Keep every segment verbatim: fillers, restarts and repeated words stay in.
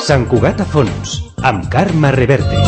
Sant Cugat a fons, amb Carme Reverte.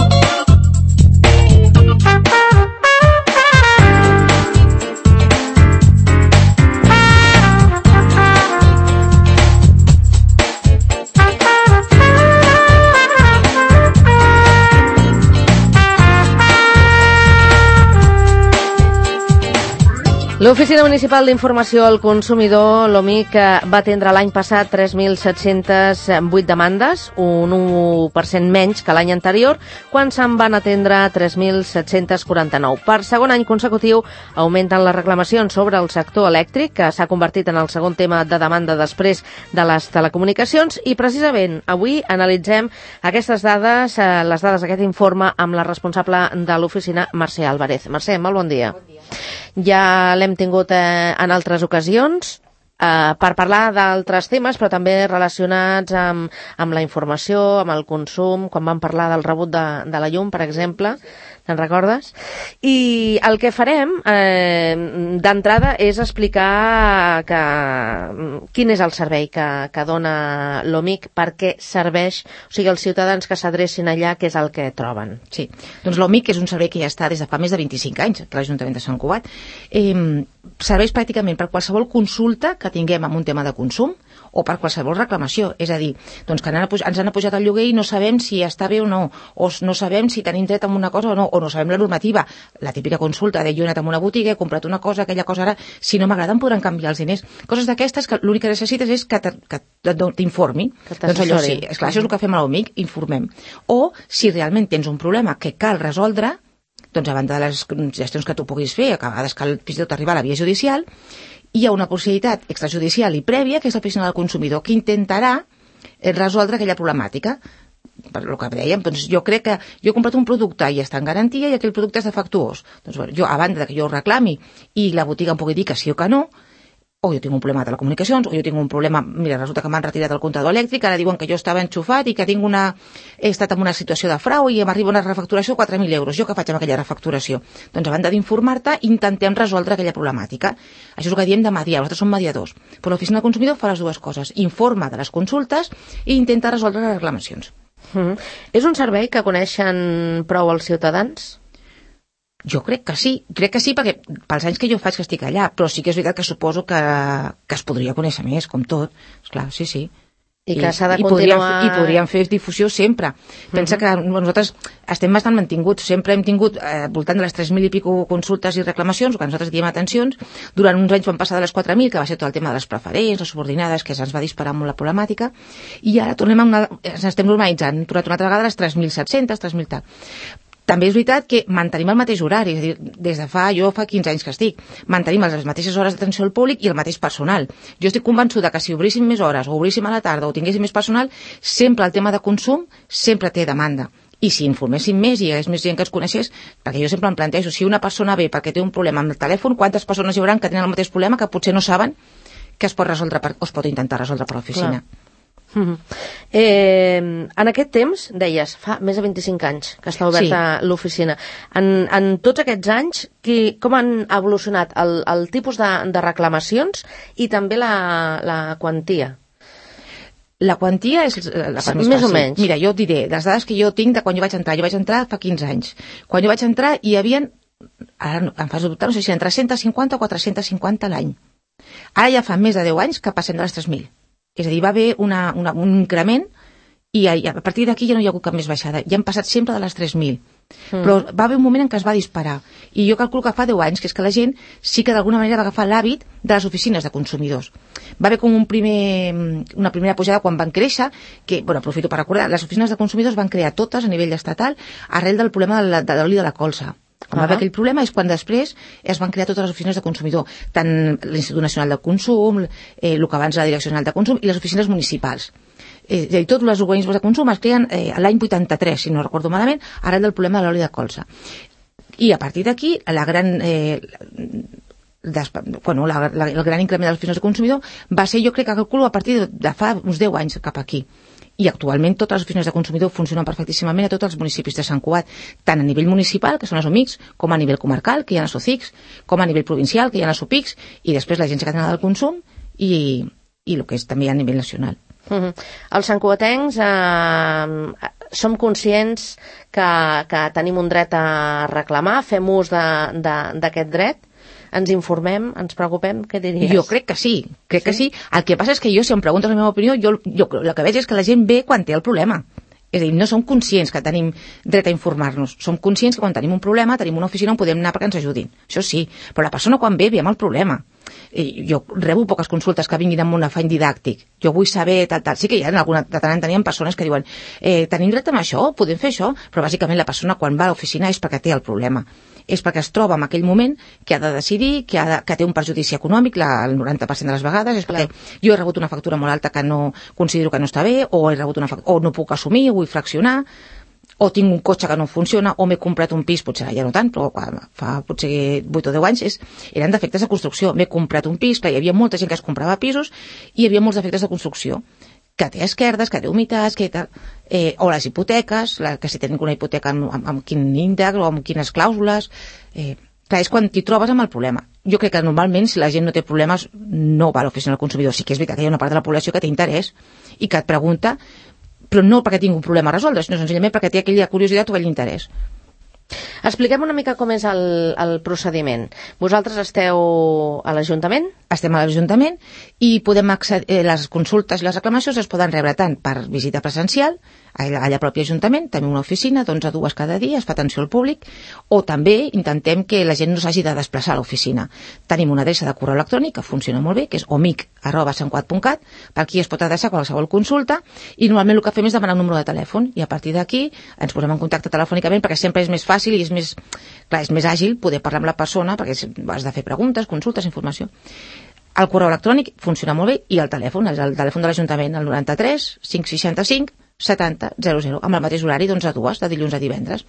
L'Oficina Municipal d'Informació al Consumidor, l'OMIC, va atendre l'any passat tres mil set-cents vuit demandes, un u per cent menys que l'any anterior, quan se'n van atendre tres mil set-cents quaranta-nou. Per segon any consecutiu, augmenten les reclamacions sobre el sector elèctric, que s'ha convertit en el segon tema de demanda després de les telecomunicacions, i precisament avui analitzem aquestes dades, les dades d'aquest informe, amb la responsable de l'oficina, Mercè Álvarez. Mercè, molt bon dia. Bon dia. Ja l'hem tingut eh, en altres ocasions eh, per parlar d'altres temes, però també relacionats amb, amb la informació, amb el consum, quan vam parlar del rebut de, de la llum, per exemple, te'n recordes? I el que farem eh, d'entrada és explicar que, quin és el servei que, que dona l'OMIC, per què serveix, o sigui, els ciutadans que s'adrecin allà, què és el que troben. Sí, doncs l'OMIC és un servei que ja està des de fa més de vint-i-cinc anys, que l'Ajuntament de Sant Cugat. Eh, serveix pràcticament per qualsevol consulta que tinguem amb un tema de consum, o per qualsevol reclamació, és a dir, doncs que ens han apujat el lloguer i no sabem si està bé o no, o no sabem si tenim dret a una cosa o no, o no sabem la normativa, la típica consulta de jo he anat a una botiga, he comprat una cosa, aquella cosa ara, si no m'agrada em podran canviar els diners, coses d'aquestes que l'únic que necessites és que t'informi, doncs allò sí, esclar, això és el que fem a l'OMIC, informem, o si realment tens un problema que cal resoldre, doncs a banda de les gestions que tu puguis fer, a vegades cal fins i tot arribar a la via judicial, hi ha una possibilitat extrajudicial i prèvia, que és l'oficina del consumidor, que intentarà resoldre aquella problemàtica. Per el que dèiem, doncs jo crec que jo he comprat un producte i està en garantia i aquell producte és defectuós. Doncs bueno, jo, a banda que jo ho reclami i la botiga em pugui dir que sí o que no, o jo tinc un problema de telecomunicacions, o jo tinc un problema, mira, resulta que m'han retirat el comptador elèctric, ara diuen que jo estava enxufat i que tinc una, he estat en una situació de frau i m'arriba una refacturació de quatre mil euros. Jo què faig amb aquella refacturació? Doncs a banda d'informar-te, intentem resoldre aquella problemàtica. Això és el que diem de mediar, nosaltres som mediadors. Però l'oficina del consumidor fa les dues coses, informa de les consultes i intenta resoldre les reclamacions. Mm-hmm. És un servei que coneixen prou els ciutadans? Jo crec que sí, crec que sí perquè pels anys que jo faig que estic allà, però sí que és veritat que suposo que, que es podria conèixer més, com tot, esclar, sí, sí. I que s'ha de i, continuar... Podríem, I podríem fer difusió sempre. Pensa uh-huh. que nosaltres estem bastant mantinguts, sempre hem tingut eh, voltant de les tres mil i pico consultes i reclamacions, que nosaltres diem atencions, durant uns anys vam passar de les quatre mil, que va ser tot el tema de les preferents, les subordinades, que se'ns va disparar molt la problemàtica, i ara tornem a una, ens estem normalitzant, hem tornat una altra vegada a les tres mil set-cents, tres mil tal. També és veritat que mantenim el mateix horari, és a dir, des de fa, jo fa quinze anys que estic, mantenim les mateixes hores d'atenció al públic i el mateix personal. Jo estic convençuda que si obríssim més hores o obríssim a la tarda o tinguéssim més personal, sempre el tema de consum sempre té demanda. I si informéssim més i hi hagués més gent que ens coneixés, perquè jo sempre em plantejo, si una persona ve perquè té un problema amb el telèfon, quantes persones hi haurà que tenen el mateix problema que potser no saben que es pot resoldre per, o es pot intentar resoldre per l'oficina. Clar. Mm-hmm. Eh, en aquest temps, deies, fa més de vint-i-cinc anys que està oberta sí. l'oficina. En, en tots aquests anys, qui, com han evolucionat el, el tipus de, de reclamacions i també la, la quantia? La quantia és la part més, més fàcil. O menys. Mira, jo et diré, les dades que jo tinc de quan jo vaig entrar, jo vaig entrar fa quinze anys. Quan jo vaig entrar hi havia, ara em fas dubtar, no sé si eren tres-cents cinquanta o quatre-cents cinquanta l'any. Ara ja fa més de deu anys que passem de les tres mil. És a dir, va haver una, una, un increment i a, a partir d'aquí ja no hi ha hagut cap més baixada. Ja han passat sempre de les tres mil. Mm. Però va haver un moment en què es va disparar. I jo calculo que fa deu anys, que és que la gent sí que d'alguna manera va agafar l'hàbit de les oficines de consumidors. Va haver com un primer, una primera pujada quan van créixer, que, bueno, aprofito per recordar, les oficines de consumidors van crear totes a nivell estatal arrel del problema de, la, de l'oli de la colza. Quan va haver aquell problema és quan després es van crear totes les oficines de consumidor, tant l'Institut Nacional de Consum, eh, el que abans la Direcció General de Consum, i les oficines municipals. Eh, és a dir, tots els organismes de consum es creen eh, l'any vuitanta-tres, si no recordo malament, arrel del problema de l'oli de colza. I a partir d'aquí, la gran... Eh, Des, bueno, la, la, el gran increment de les oficines de consumidor va ser, jo crec que calculo, a partir de, de fa uns deu anys cap aquí. I actualment totes les oficines de consumidor funcionen perfectíssimament a tots els municipis de Sant Cugat, tant a nivell municipal, que són les OMICs, com a nivell comarcal, que hi ha les OCICs, com a nivell provincial, que hi ha les OPICs, i després l'Agència Catalana del Consum, i, i el que és també a nivell nacional. Uh-huh. Els santcugatencs eh, som conscients que, que tenim un dret a reclamar, fem ús d'aquest dret, ens informem, ens preocupem, què diries? Jo crec que sí, crec sí? que sí. El que passa és que jo, si em preguntes la meva opinió, jo, jo el que veig és que la gent ve quan té el problema. És a dir, no som conscients que tenim dret a informar-nos. Som conscients que quan tenim un problema tenim una oficina on podem anar perquè ens ajudin. Això sí, però la persona quan ve ve amb el problema. I jo rebo poques consultes que vinguin amb un afany didàctic. Jo vull saber tal, tal. Sí que hi ha alguna, de tant en tenien persones que diuen eh, tenim dret a això, podem fer això, però bàsicament la persona quan va a l'oficina és perquè té el problema. És perquè es troba en aquell moment que ha de decidir, que, ha de, que té un perjudici econòmic la, el noranta per cent de les vegades, és perquè jo he rebut una factura molt alta que no considero que no està bé, o he rebut una factura, o no puc assumir, vull fraccionar, o tinc un cotxe que no funciona, o m'he comprat un pis, potser ja no tant, però fa potser vuit o deu anys, és, eren defectes de construcció. M'he comprat un pis, clar, hi havia molta gent que es comprava pisos i hi havia molts defectes de construcció, que té esquerdes, que té humitats, que tal, eh, o les hipoteques, la, que si tenen una hipoteca amb, amb, amb quin índex o amb quines clàusules, eh, clar, és quan t'hi trobes amb el problema. Jo crec que normalment si la gent no té problemes no va a l'oficina del consumidor. Sí que és veritat que hi ha una part de la població que té interès i que et pregunta, però no perquè tingui un problema a resoldre, sinó senzillament perquè té aquella curiositat o aquell interès. Expliquem una mica com és el, el procediment. Vosaltres esteu a l'Ajuntament? Estem a l'Ajuntament i podem accedir, les consultes i les reclamacions es poden rebre tant per visita presencial, allà, allà propi Ajuntament, tenim una oficina d'onze a dues cada dia, es fa atenció al públic, o també intentem que la gent no s'hagi de desplaçar a l'oficina. Tenim una adreça de correu electrònic que funciona molt bé, que és omic arroba santcugat punt cat, per aquí es pot adreçar qualsevol consulta, i normalment el que fem és demanar un número de telèfon, i a partir d'aquí ens posem en contacte telefònicament, perquè sempre és més fàcil i és més, clar, és més àgil poder parlar amb la persona, perquè has de fer preguntes, consultes, informació. El correu electrònic funciona molt bé i el telèfon, el, el telèfon de l'Ajuntament, el noranta-tres cinc seixanta-cinc setanta zero zero, amb el mateix horari d'onze a dues, de dilluns a divendres.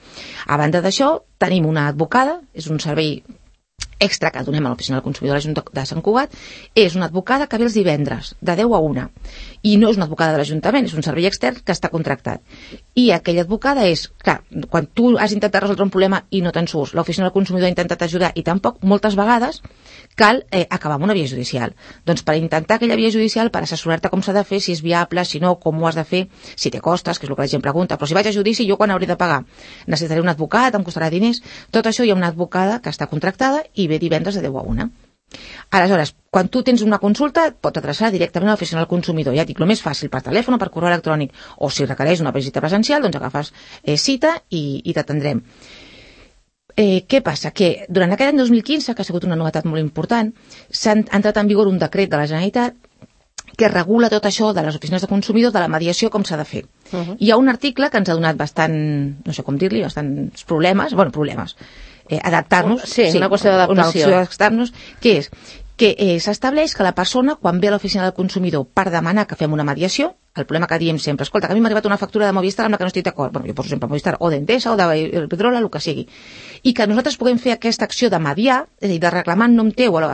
A banda d'això, tenim una advocada, és un servei extra que donem a l'Oficina del Consumidor de Sant Cugat, és una advocada que ve els divendres, de deu a una, i no és una advocada de l'Ajuntament, és un servei extern que està contractat. I aquella advocada és, clar, quan tu has intentat resoldre un problema i no te'n surts, l'Oficina del Consumidor ha intentat ajudar i tampoc, moltes vegades cal eh, acabar amb una via judicial. Doncs per intentar aquella via judicial, per assessorar-te com s'ha de fer, si és viable, si no, com ho has de fer, si té costes, que és el que la gent pregunta, però si vaig a judici, jo quan hauré de pagar? Necessitaré un advocat, em costarà diners? Tot això hi ha una advocada que està contractada i ve divendres de deu a una. Aleshores, quan tu tens una consulta, et pots adreçar directament a l'Oficina del Consumidor. Ja et dic, el més fàcil per telèfon o per correu electrònic, o si requereix una visita presencial, doncs agafes eh, cita i, i t'atendrem. Eh, què passa? Que durant aquest any dos mil quinze, que ha sigut una novetat molt important, s'ha entrat en vigor un decret de la Generalitat que regula tot això de les oficines de consumidors, de la mediació, com s'ha de fer. Uh-huh. Hi ha un article que ens ha donat bastant, no sé com dir-li, bastants problemes, bueno, problemes, eh, adaptar-nos. Sí, sí, una qüestió d'adaptació. Una qüestió d'adaptar-nos, que és que eh, s'estableix que la persona, quan ve a l'oficina del consumidor per demanar que fem una mediació, el problema que diem sempre, escolta, que a mi m'ha arribat una factura de Movistar amb la que no estic d'acord, bueno, jo poso sempre Movistar, o d'Endesa, o de Pedrola, el que sigui, i que nosaltres puguem fer aquesta acció de mediar, és a dir, de reclamar en nom teu a, la,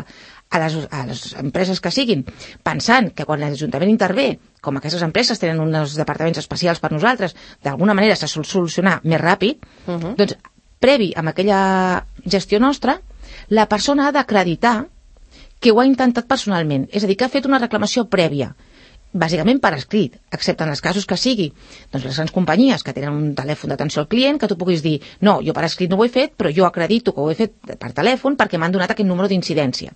a, les, a les empreses que siguin, pensant que quan l'Ajuntament intervé, com aquestes empreses tenen uns departaments especials per nosaltres, d'alguna manera s'ha de solucionar més ràpid, uh-huh. Doncs, previ amb aquella gestió nostra, la persona ha d'acreditar que ho ha intentat personalment, és a dir, que ha fet una reclamació prèvia, bàsicament per escrit, excepte en els casos que sigui, doncs les grans companyies que tenen un telèfon d'atenció al client, que tu puguis dir, no, jo per escrit no ho he fet, però jo acredito que ho he fet per telèfon perquè m'han donat aquest número d'incidència.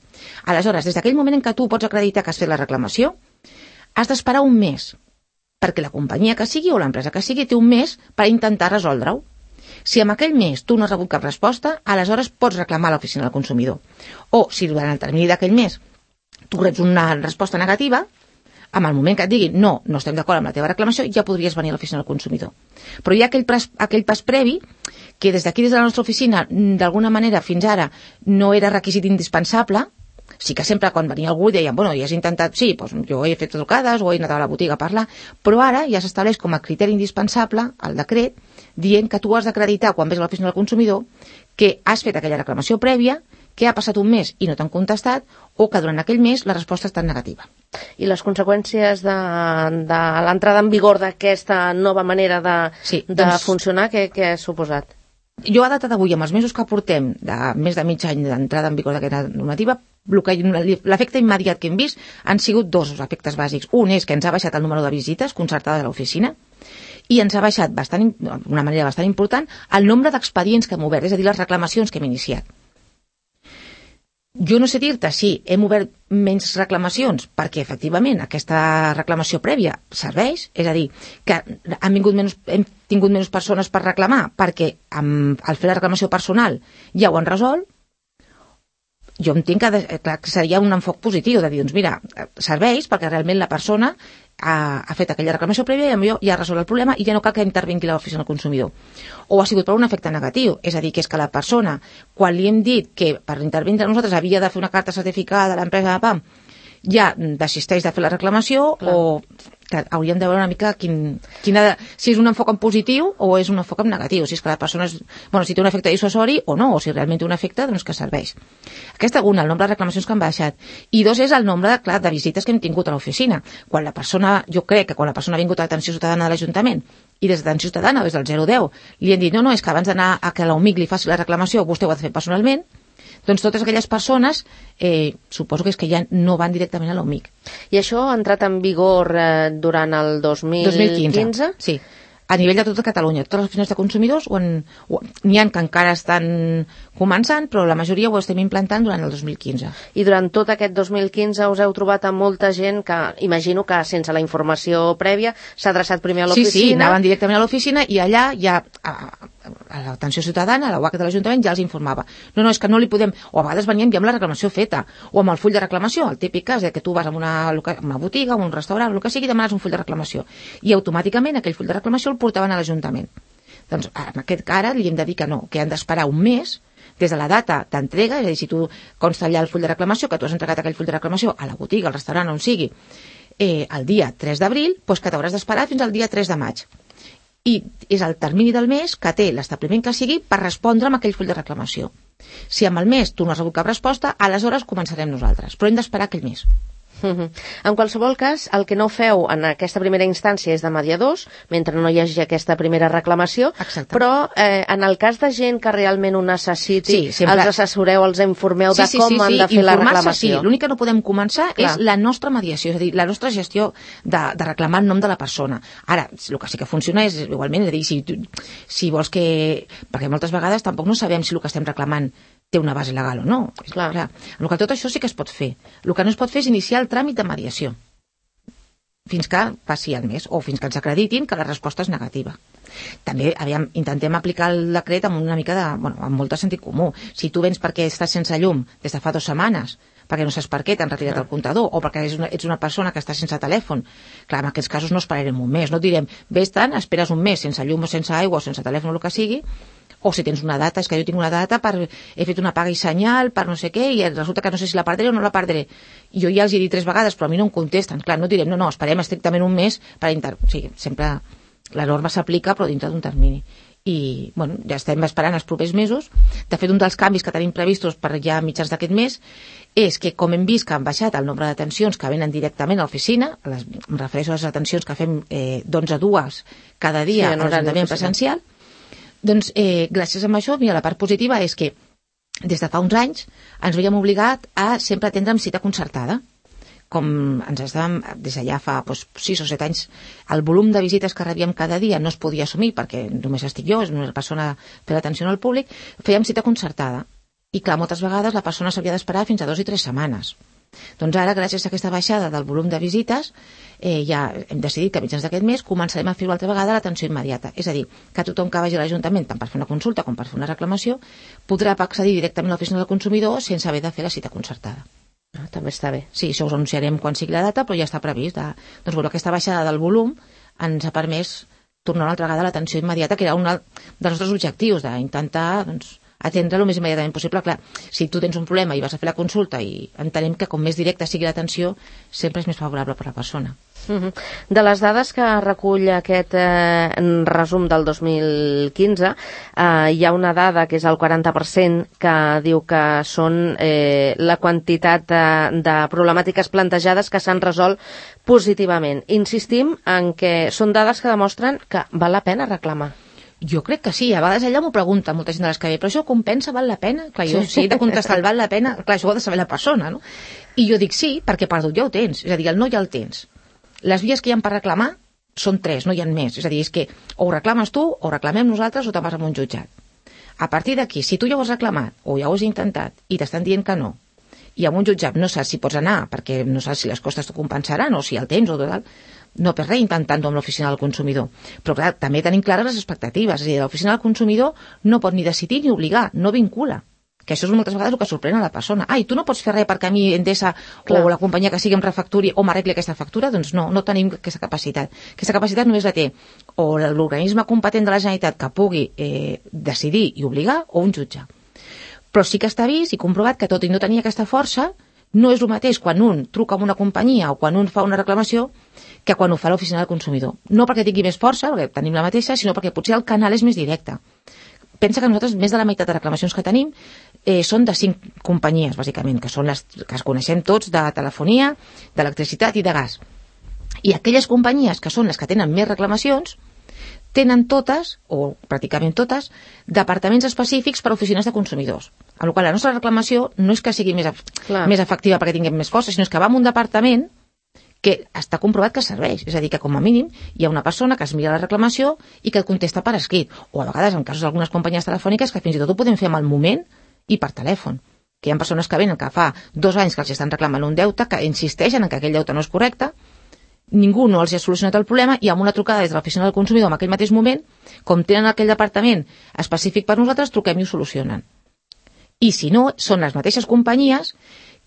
Aleshores, des d'aquell moment en què tu pots acreditar que has fet la reclamació, has d'esperar un mes, perquè la companyia que sigui o l'empresa que sigui té un mes per intentar resoldre-ho. Si en aquell mes tu no has rebut cap resposta, aleshores pots reclamar a l'Oficina del Consumidor. O, si durant el termini d'aquell mes tu reps una resposta negativa, en el moment que et diguin no, no estem d'acord amb la teva reclamació, ja podries venir a l'Oficina del Consumidor. Però hi ha aquell pas, aquell pas previ que des d'aquí, des de la nostra oficina, d'alguna manera fins ara no era requisit indispensable. Sí que sempre quan venia algú deien, bueno, ja has intentat, sí, doncs jo he fet trucades o he anat a la botiga a parlar, però ara ja s'estableix com a criteri indispensable el decret dient que tu has d'acreditar quan ves a l'Oficina del Consumidor que has fet aquella reclamació prèvia, que ha passat un mes i no t'han contestat, o que durant aquell mes la resposta ha estat negativa. I les conseqüències de, de l'entrada en vigor d'aquesta nova manera de, sí, de doncs, funcionar, què, què ha suposat? jo a data d'avui, amb els mesos que portem, de més de mig any d'entrada en vigor d'aquesta normativa, l'efecte immediat que hem vist han sigut dos efectes bàsics. Un és que ens ha baixat el número de visites concertades a l'oficina i ens ha baixat bastant, d'una manera bastant important el nombre d'expedients que hem obert, és a dir, les reclamacions que hem iniciat. Jo no sé dir-te si hem obert menys reclamacions perquè efectivament aquesta reclamació prèvia serveix, és a dir, que han vingut menys, hem tingut menys persones per reclamar perquè amb, al fer la reclamació personal ja ho han resolt. Jo entenc que, clar, que seria un enfoc positiu de dir, doncs mira, serveix perquè realment la persona ha, ha fet aquella reclamació prèvia i ja ha resolt el problema i ja no cal que intervingui l'oficina del consumidor. O ha sigut per un efecte negatiu, és a dir, que és que la persona, quan li hem dit que per intervindre nosaltres havia de fer una carta certificada a l'empresa de P A M, ja desisteix de fer la reclamació. Clar. O que hauríem de veure una mica quin, quina de, si és un enfoc en positiu o és un enfoc en negatiu, si és que la persona és, bueno, si té un efecte dissuasori o no, o si realment té un efecte, doncs que serveix. Aquesta una, el nombre de reclamacions que han baixat. I dos és el nombre, clar, de visites que hem tingut a l'oficina. Quan la persona, jo crec que quan la persona ha vingut a l'atenció ciutadana de l'Ajuntament i des d'atenció ciutadana, des del zero deu, li han dit, no, no, és que abans d'anar a que l'OMIC li faci la reclamació, vostè ho ha de fer personalment, doncs totes aquelles persones, eh, suposo que és que ja no van directament a l'OMIC. I això ha entrat en vigor eh, durant el dos mil quinze? dos mil quinze, sí. A nivell de tota Catalunya, totes les oficines de consumidors n'hi ha que encara estan començant, però la majoria ho estem implantant durant el dos mil quinze. I durant tot aquest dos mil quinze us heu trobat amb molta gent que, imagino que sense la informació prèvia, s'ha adreçat primer a l'oficina? Sí, sí, anaven directament a l'oficina i allà ja a, a l'atenció ciutadana, a la U A C de l'Ajuntament, ja els informava. No, no, és que no li podem... O a vegades venien ja amb la reclamació feta, o amb el full de reclamació, el típic cas de que tu vas a una, una botiga, a un restaurant, el que sigui, demanes un full de reclamació. I automàticament aquell full de reclamació el portaven a l'Ajuntament. Doncs en aquest cara li hem de dir que no, que han d'esperar un mes des de la data d'entrega, és a dir, si tu consta allà el full de reclamació, que tu has entregat aquell full de reclamació a la botiga, al restaurant, on sigui, eh, el dia tres d'abril, doncs que t'hauràs d'esperar fins al dia tres de maig. I és el termini del mes que té l'establiment que sigui per respondre amb aquell full de reclamació. Si amb el mes tu no has rebut cap resposta, aleshores començarem nosaltres, però hem d'esperar aquell mes. Uh-huh. En qualsevol cas, el que no feu en aquesta primera instància és de mediadors, mentre no hi hagi aquesta primera reclamació. Exacte. Però eh, en el cas de gent que realment ho necessiti, sí, sempre... els assessoreu, els informeu sí, de sí, com sí, sí, han de fer la reclamació. Sí, l'únic que no podem començar Clar. és la nostra mediació, és a dir, la nostra gestió de, de reclamar en nom de la persona. Ara, el que sí que funciona és igualment, és a dir, si, si vols que... Perquè moltes vegades tampoc no sabem si el que estem reclamant té una base legal o no. Clar. Clar. En el que tot això sí que es pot fer. El que no es pot fer és iniciar el tràmit de mediació fins que passi el mes o fins que ens acreditin que la resposta és negativa. També aviam, intentem aplicar el decret amb una mica de, bueno, amb molt de sentit comú. Si tu vens perquè estàs sense llum des de fa dues setmanes, perquè no saps per què t'han retirat el comptador, o perquè ets una, ets una persona que està sense telèfon, clar, en aquests casos no esperarem un mes, no et direm, vés tant, esperes un mes sense llum o sense aigua o sense telèfon o el que sigui, o si tens una data, és que jo tinc una data per, he fet una paga i senyal per no sé què, i resulta que no sé si la perdré o no la perdré. Jo ja els he dit tres vegades, però a mi no em contesten. Clar, no direm, no, no, esperem estrictament un mes per inter... O sigui, sempre la norma s'aplica, però dintre d'un termini. I, bueno, ja estem esperant els propers mesos. De fet, un dels canvis que tenim previstos per ja mitjans d'aquest mes és que, com hem vist que han baixat el nombre d'atencions que venen directament a l'oficina, les, em refereixo a les atencions que fem eh, d'onze a dues cada dia sí, a l'Ajuntament presencial, doncs, eh, gràcies a això, mira, la part positiva és que des de fa uns anys ens veiem obligat a sempre atendre amb cita concertada. Com ens estàvem, des d'allà fa doncs, sis o set anys, el volum de visites que rebíem cada dia no es podia assumir perquè només estic jo, és una persona per l'atenció al públic, fèiem cita concertada. I clar, moltes vegades la persona s'havia d'esperar fins a dos i tres setmanes. Doncs ara, gràcies a aquesta baixada del volum de visites, eh, ja hem decidit que a mitjans d'aquest mes començarem a fer una altra vegada l'atenció immediata. És a dir, que tothom que vagi a l'Ajuntament, tant per fer una consulta com per fer una reclamació, podrà accedir directament a l'oficina del consumidor sense haver de fer la cita concertada. Ah, també està bé. Sí, això us anunciarem quan sigui la data, però ja està previst. De... Doncs bueno, aquesta baixada del volum ens ha permès tornar una altra vegada a l'atenció immediata, que era un dels nostres objectius, d'intentar doncs, atendre el més immediatament possible. Clar, si tu tens un problema i vas a fer la consulta i entenem que com més directa sigui l'atenció, sempre és més favorable per a la persona. Uh-huh. De les dades que recull aquest eh, resum del dos mil quinze, eh, hi ha una dada que és el quaranta per cent que diu que són eh, la quantitat de, de problemàtiques plantejades que s'han resolt positivament. Insistim en que són dades que demostren que val la pena reclamar. Jo crec que sí, a vegades ella m'ho pregunta, molta gent de les que ve, però això compensa, val la pena? Clar, jo, si he de contestar el val la pena, clar, això ho ha de saber la persona, no? I jo dic sí, perquè perdut ja ho tens, és a dir, el no ja el tens. Les vies que hi ha per reclamar són tres, no hi ha més, és a dir, és que o ho reclames tu, o ho reclamem nosaltres, o te'n vas a un jutjat. A partir d'aquí, si tu ja ho has reclamat, o ja ho has intentat, i t'estan dient que no, i a un jutjat no saps si pots anar, perquè no saps si les costes t'ho compensaran, o si el tens, o tot, no per res intentant-ho amb l'oficina del consumidor. Però clar, també tenim clares les expectatives, és a dir, l'oficina del consumidor no pot ni decidir ni obligar, no vincula. Que això és moltes vegades el que sorprèn a la persona. Ai, tu no pots fer res perquè a mi Endesa clar. O la companyia que sigui em refacturi o m'arregli aquesta factura? Doncs no, no tenim aquesta capacitat. Aquesta capacitat només la té o l'organisme competent de la Generalitat que pugui eh, decidir i obligar o un jutge. Però sí que està vist i comprovat que tot i no tenir aquesta força, no és el mateix quan un truca a una companyia o quan un fa una reclamació que quan ho fa l'oficina del consumidor. No perquè tingui més força, perquè tenim la mateixa, sinó perquè potser el canal és més directe. Pensa que nosaltres més de la meitat de reclamacions que tenim eh, són de cinc companyies, bàsicament, que són les que es coneixem tots de telefonia, d'electricitat i de gas. I aquelles companyies que són les que tenen més reclamacions tenen totes, o pràcticament totes, departaments específics per a oficines de consumidors. Amb la qual cosa la nostra reclamació no és que sigui més, més efectiva perquè tinguem més força, sinó és que va en un departament que està comprovat que serveix. És a dir, que com a mínim hi ha una persona que es mira la reclamació i que et contesta per escrit. O a vegades, en casos d'algunes companyies telefòniques, que fins i tot ho podem fer amb el moment i per telèfon. Que hi ha persones que venen que fa dos anys que els estan reclamant un deute, que insisteixen en que aquell deute no és correcte, ningú no els ha solucionat el problema i amb una trucada des de l'oficina del consumidor en aquell mateix moment, com tenen aquell departament específic per nosaltres, truquem i ho solucionen. I si no, són les mateixes companyies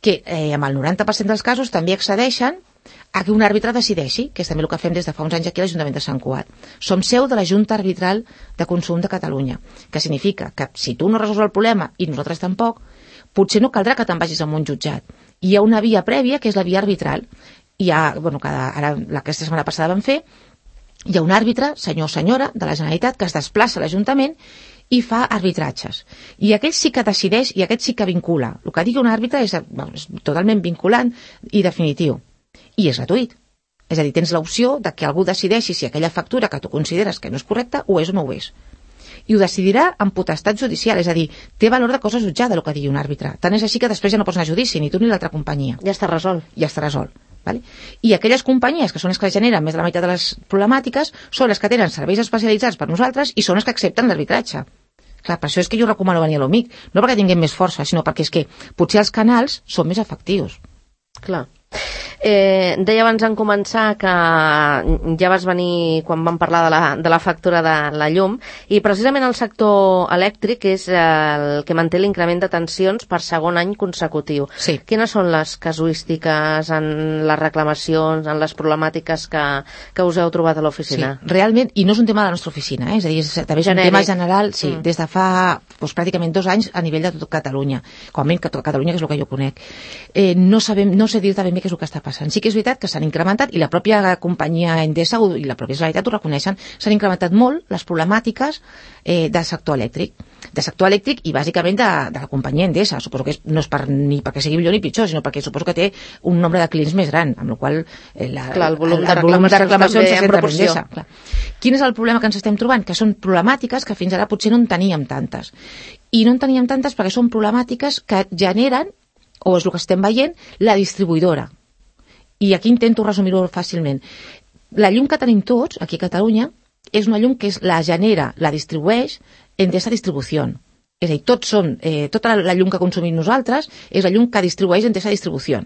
que eh, amb el noranta per cent dels casos també accedeixen a que un àrbitre decideixi, que és també el que fem des de fa uns anys aquí a l'Ajuntament de Sant Cugat. Som seu de la Junta Arbitral de Consum de Catalunya, que significa que si tu no resols el problema i nosaltres tampoc, potser no caldrà que te'n vagis a un jutjat. Hi ha una via prèvia, que és la via arbitral. Hi ha, bueno, cada, ara, aquesta setmana passada vam fer, hi ha un àrbitre, senyor o senyora, de la Generalitat, que es desplaça a l'Ajuntament i fa arbitratges. I aquest sí que decideix i aquest sí que vincula. El que digui un àrbitre és, bueno, és totalment vinculant i definitiu. I és gratuït. És a dir, tens l'opció de que algú decideixi si aquella factura que tu consideres que no és correcta ho és o no ho és. I ho decidirà amb potestat judicial, és a dir, té valor de cosa jutjada el que digui un àrbitre. Tant és així que després ja no pots anar a judici, ni tu ni l'altra companyia. Ja està resolt. Ja està resolt. Vale? I aquelles companyies que són les que generen més de la meitat de les problemàtiques són les que tenen serveis especialitzats per nosaltres i són les que accepten l'arbitratge. Clar, per això és que jo recomano venir a l'O M I C, no perquè tinguem més força, sinó perquè és que potser els canals són més efectius. Clar. Eh, deia abans en començar que ja vas venir quan vam parlar de la, de la factura de la llum i precisament el sector elèctric és el que manté l'increment de tensions per segon any consecutiu. Sí. Quines són les casuístiques en les reclamacions, en les problemàtiques que, que us heu trobat a l'oficina? Sí, realment, i no és un tema de la nostra oficina, eh? És a dir, és, també és Genèric. Un tema general, sí, mm. des de fa doncs, pràcticament dos anys a nivell de tot Catalunya, com a mínim que tot Catalunya, que és el que jo conec. Eh, no sabem, no sé dir-te ben bé què és el que està passant. Sí que és veritat que s'han incrementat, i la pròpia companyia Endesa i la pròpia Generalitat ho reconeixen, s'han incrementat molt les problemàtiques eh, del sector elèctric. Del sector elèctric i bàsicament de, de la companyia Endesa. Suposo que és, no és per, ni perquè sigui millor ni pitjor, sinó perquè suposo que té un nombre de clients més gran, amb el qual eh, la, clar, el volum el, de el volum de reclamacions en proporció. Clar. Quin és el problema que ens estem trobant? Que són problemàtiques que fins ara potser no en teníem tantes. I no en teníem tantes perquè són problemàtiques que generen, o és el que estem veient, la distribuïdora. I aquí intento resumir-ho fàcilment. La llum que tenim tots, aquí a Catalunya, és una llum que és, la genera, la distribueix Endesa Distribució. És a dir, tots són, eh, tota la llum que consumim nosaltres és la llum que distribueix Endesa Distribució.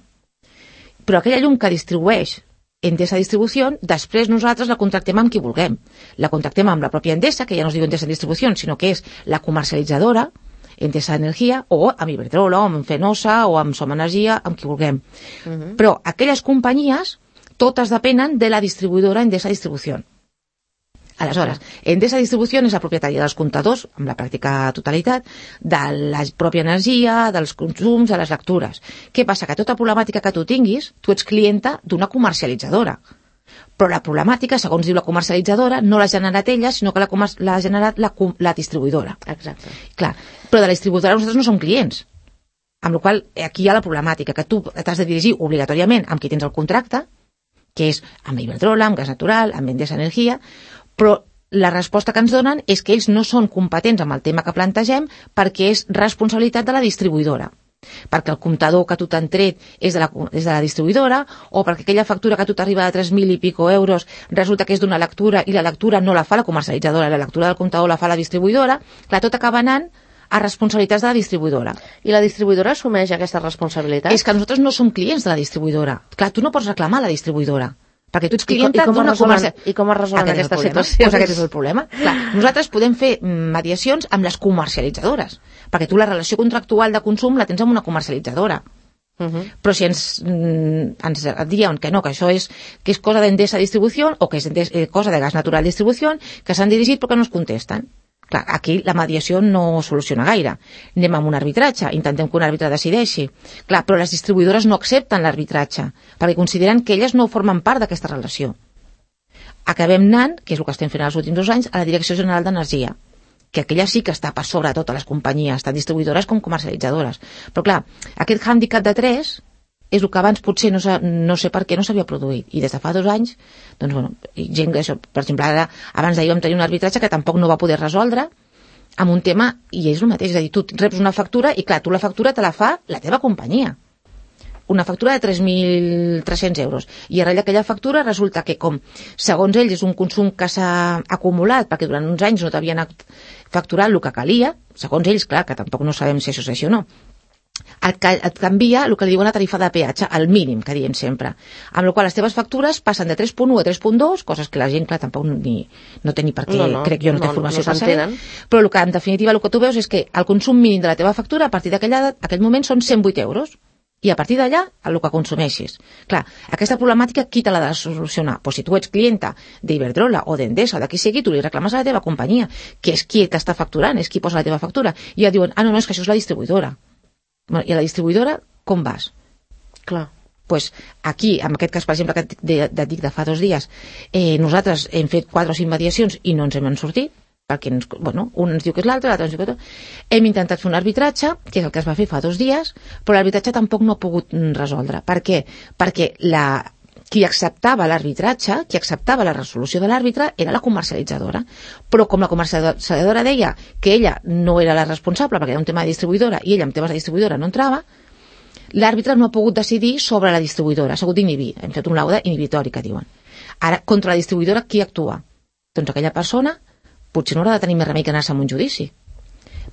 Però aquella llum que distribueix Endesa Distribució, després nosaltres la contractem amb qui vulguem. La contractem amb la pròpia Endesa, que ja no es diu Endesa Distribució, sinó que és la comercialitzadora, Endesa Energia, o amb Iberdrola, o amb Fenosa, o amb Som Energia, amb qui vulguem. Uh -huh. Però aquelles companyies, totes depenen de la distribuïdora Endesa Distribució. Aleshores, Endesa Distribució és la propietària dels comptadors, amb la pràctica totalitat, de la pròpia energia, dels consums, de les lectures. Què passa? Que tota problemàtica que tu tinguis, tu ets clienta d'una comercialitzadora. Però la problemàtica, segons diu la comercialitzadora, no l'ha generat ella, sinó que l'ha generat la, la distribuïdora. Exacte. Clar, però de la distribuïdora nosaltres no som clients. Amb la qual cosa, aquí hi ha la problemàtica, que tu t'has de dirigir obligatòriament amb qui tens el contracte, que és amb Iberdrola, amb Gas Natural, amb Endesa Energia, però la resposta que ens donen és que ells no són competents amb el tema que plantegem perquè és responsabilitat de la distribuïdora. Perquè el comptador que tu t'han tret és de, la, és de la distribuïdora, o perquè aquella factura que a tu t'arriba de tres mil i pico euros resulta que és d'una lectura i la lectura no la fa la comercialitzadora, la lectura del comptador la fa la distribuïdora. Clar, tot acaba anant a responsabilitats de la distribuïdora. I la distribuïdora assumeix aquesta responsabilitat? És que nosaltres no som clients de la distribuïdora. Clar, tu no pots reclamar a la distribuïdora, perquè tu ets clienta d'una comercial. I com es resolen aquest aquestes situacions? Pues aquest és el problema. Clar, nosaltres podem fer mediacions amb les comercialitzadores, perquè tu la relació contractual de consum la tens amb una comercialitzadora. Uh -huh. Però si ens, ens diuen que no, que això és, que és cosa d'Endesa Distribució o que és eh, cosa de Gas Natural Distribució, que s'han dirigit però que no es contesten. Clar, aquí la mediació no soluciona gaire. Anem amb un arbitratge, intentem que un àrbitre decideixi. Clar, però les distribuïdores no accepten l'arbitratge, perquè consideren que elles no formen part d'aquesta relació. Acabem anant, que és el que estem fent els últims dos anys, a la Direcció General d'Energia, que aquella sí que està per sobre totes les companyies, tant distribuïdores com comercialitzadores. Però clar, aquest hàndicap de tres és el que abans potser no, no sé per què no s'havia produït. I des de fa dos anys, doncs bueno, gent que això, per exemple, ara, abans d'ahir vam tenir un arbitratge que tampoc no va poder resoldre amb un tema, i és el mateix, és a dir, tu reps una factura i clar, tu la factura te la fa la teva companyia. Una factura de tres mil tres-cents euros. I arrel d'aquella factura resulta que com, segons ells, és un consum que s'ha acumulat perquè durant uns anys no t'havien facturat el que calia, segons ells, clar, que tampoc no sabem si això és així o no, et, et canvia el que li diuen la tarifa de peatge, al mínim, que diem sempre. Amb la qual les teves factures passen de tres punt u a tres punt dos, coses que la gent, clar, tampoc ni, no té ni per què, no, no, crec jo, no, no té formació no per saber. Però el que, en definitiva, el que tu veus és que el consum mínim de la teva factura, a partir d'aquell moment, són cent vuit euros. I a partir d'allà, el que consumeixis. Clar, aquesta problemàtica, qui te l'ha de solucionar? Pues si tu ets clienta d'Iberdrola o d'Endesa o de qui sigui, tu li reclames a la teva companyia, que és qui t'està facturant, és qui posa la teva factura. I ja diuen, ah, no, no, és que això és la distribuïdora. Bueno, i a la distribuïdora, com vas? Clar. Pues aquí, en aquest cas, per exemple, que et dic de fa dos dies, eh, nosaltres hem fet quatre o cinc mediacions i no ens hem sortit, perquè ens, bueno, un ens diu que és l'altre, l'altre ens diu que és hem intentat fer un arbitratge, que és el que es va fer fa dos dies, però l'arbitratge tampoc no ha pogut resoldre. Per què? Perquè la, qui acceptava l'arbitratge, qui acceptava la resolució de l'àrbitre era la comercialitzadora, però com la comercialitzadora deia que ella no era la responsable perquè era un tema de distribuïdora i ella amb temes de distribuïdora no entrava, l'àrbitre no ha pogut decidir sobre la distribuïdora, ha sigut d'inhibir, hem fet un laude inhibitori que diuen. Ara, contra la distribuïdora, qui actua? Doncs aquella persona potser no haurà de tenir més remei que anar-se a un judici.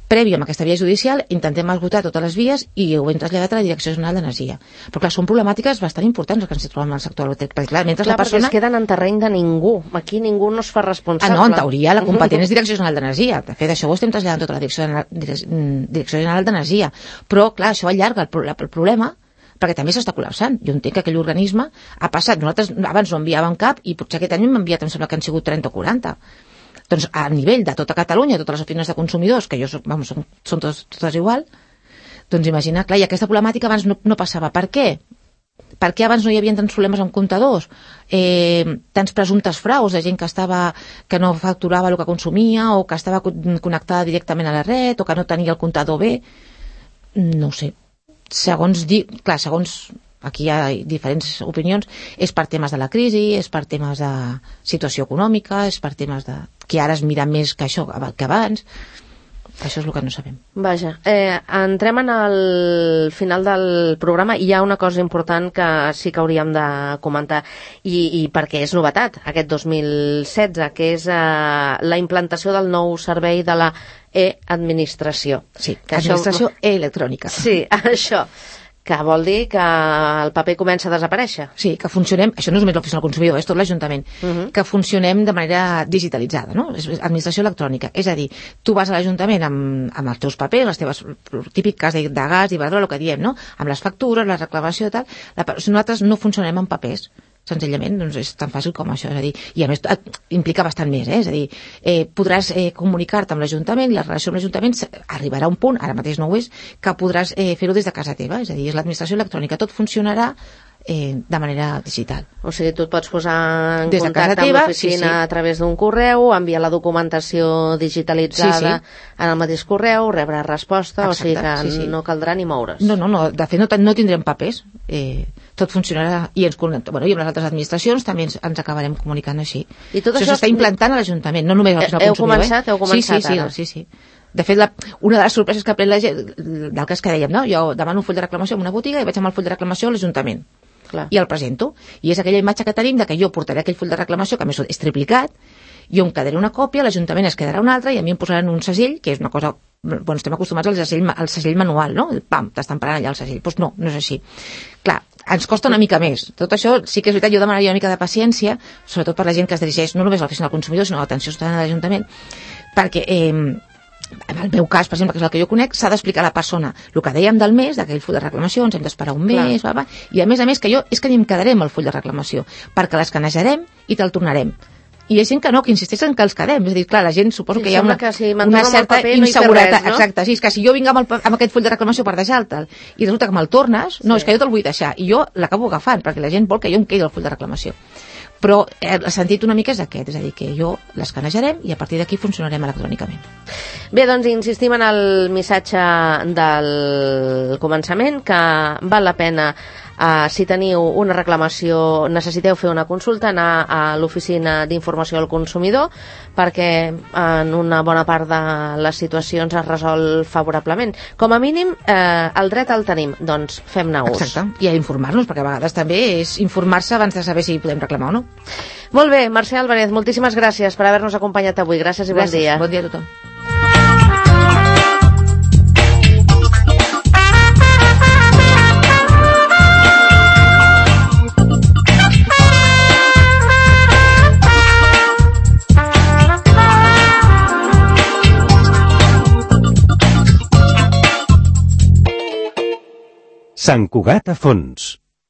Previ amb aquesta via judicial intentem esgotar totes les vies i ho hem traslladat a la Direcció General d'Energia. Però clar, són problemàtiques bastant importants que ens trobem en el sector elèctric, perquè clar, mentre clar, la persona... perquè es queden en terreny de ningú. Aquí ningú no es fa responsable. Ah, no, en teoria la competent és Direcció General d'Energia. De fet, això ho estem traslladant tota la Direcció General, Direcció General d'Energia. Però clar, això allarga el, el problema perquè també s'està col·lapsant. Jo entenc que aquell organisme ha passat. Nosaltres abans no enviàvem cap i potser aquest any hem enviat, em sembla que han sigut trenta o quaranta. Doncs a nivell de tota Catalunya, totes les oficines de consumidors, que jo soc, vamos, són, són totes, totes igual, doncs imagina, clar, i aquesta problemàtica abans no, no passava. Per què? Per què abans no hi havia tants problemes amb comptadors? Eh, tants presumptes fraus de gent que estava que no facturava el que consumia o que estava connectada directament a la red o que no tenia el comptador bé? No sé. Segons, clar, segons... Aquí hi ha diferents opinions, és per temes de la crisi, és per temes de situació econòmica, és per temes de... que ara es mira més que això, que abans. Això és el que no sabem. Vaja, eh, entrem en el final del programa i hi ha una cosa important que sí que hauríem de comentar i, i perquè és novetat aquest dos mil setze, que és eh, la implantació del nou servei de la e-administració. Sí, que administració això... electrònica. Sí, això... que vol dir que el paper comença a desaparèixer. Sí, que funcionem, això no és només l'oficina del consumidor, és tot l'Ajuntament, uh -huh. que funcionem de manera digitalitzada, no? És administració electrònica. És a dir, tu vas a l'Ajuntament amb, amb els teus papers, les teves típiques de, de gas, d'Iberdrola, el que diem, no? Amb les factures, la reclamació i tal. La, nosaltres no funcionem amb papers. Senzillament, doncs és tan fàcil com això, és a dir, i a més implica bastant més, eh? És a dir, eh, podràs eh, comunicar-te amb l'Ajuntament i la relació amb l'Ajuntament arribarà a un punt, ara mateix no ho és, que podràs eh, fer-ho des de casa teva, és a dir, és l'administració electrònica, tot funcionarà eh, de manera digital. O sigui, tu et pots posar en Des de casa contacte amb teva, l'oficina sí, sí. a través d'un correu, enviar la documentació digitalitzada Sí, sí. en el mateix correu, rebre resposta, Exacte, o sigui que sí, sí. no caldrà ni moure's. No, no, no, de fet no, no tindrem papers, eh, tot funcionarà, i, ens, bueno, i amb les altres administracions també ens, ens acabarem comunicant així. I tot això això s'està implantant a l'Ajuntament, no només al Heu consumidor. començat? Eh? Heu començat sí, sí, ara? sí, sí, sí. De fet, la, una de les sorpreses que pren la gent, del cas que dèiem, no? Jo demano un full de reclamació en una botiga i vaig amb el full de reclamació a l'Ajuntament. Clar. I el presento. I és aquella imatge que tenim de que jo portaré aquell full de reclamació, que a més és triplicat, jo em quedaré una còpia, l'Ajuntament es quedarà una altra i a mi em posaran un segell, que és una cosa... Bueno, estem acostumats al segell, al segell manual, no? El pam, t'estan parant allà el segell. Doncs pues no, no és així. Clar, ens costa una mica més. Tot això sí que és veritat, jo demanaria una mica de paciència, sobretot per la gent que es dirigeix no només a l'oficina del consumidor, sinó a l'atenció ciutadana de l'Ajuntament, perquè... Eh, en el meu cas, per exemple, que és el que jo conec, s'ha d'explicar a la persona el que dèiem del mes, d'aquell full de reclamacions, hem d'esperar un mes, va, va, i a més a més que jo és que ni em quedaré amb el full de reclamació, perquè l'escanejarem i te'l tornarem. I hi ha gent que no, que insisteix en que els quedem. És a dir, clar, la gent suposo Sí, que hi ha una, sembla que si me'n una torno amb el certa paper no hi té inseguretat. res, no? Exacte, sí, és que si jo vinc amb, el, pa- amb aquest full de reclamació per deixar-te'l i resulta que me'l tornes, no, Sí. és que jo te'l vull deixar. I jo l'acabo agafant, perquè la gent vol que jo em quedi el full de reclamació. Però eh, el sentit una mica és aquest, és a dir, que jo l'escanejarem i a partir d'aquí funcionarem electrònicament. Bé, doncs insistim en el missatge del començament, que val la pena, eh, si teniu una reclamació, necessiteu fer una consulta, anar a l'oficina d'informació al consumidor, perquè en una bona part de les situacions es resol favorablement. Com a mínim, eh, el dret el tenim, doncs fem-ne ús. Exacte, i a informar-nos, perquè a vegades també és informar-se abans de saber si podem reclamar o no. Molt bé, Mercè Álvarez, moltíssimes gràcies per haver-nos acompanyat avui. Gràcies i bon Gràcies, dia. bon dia a tothom. Sant Cugat a fons.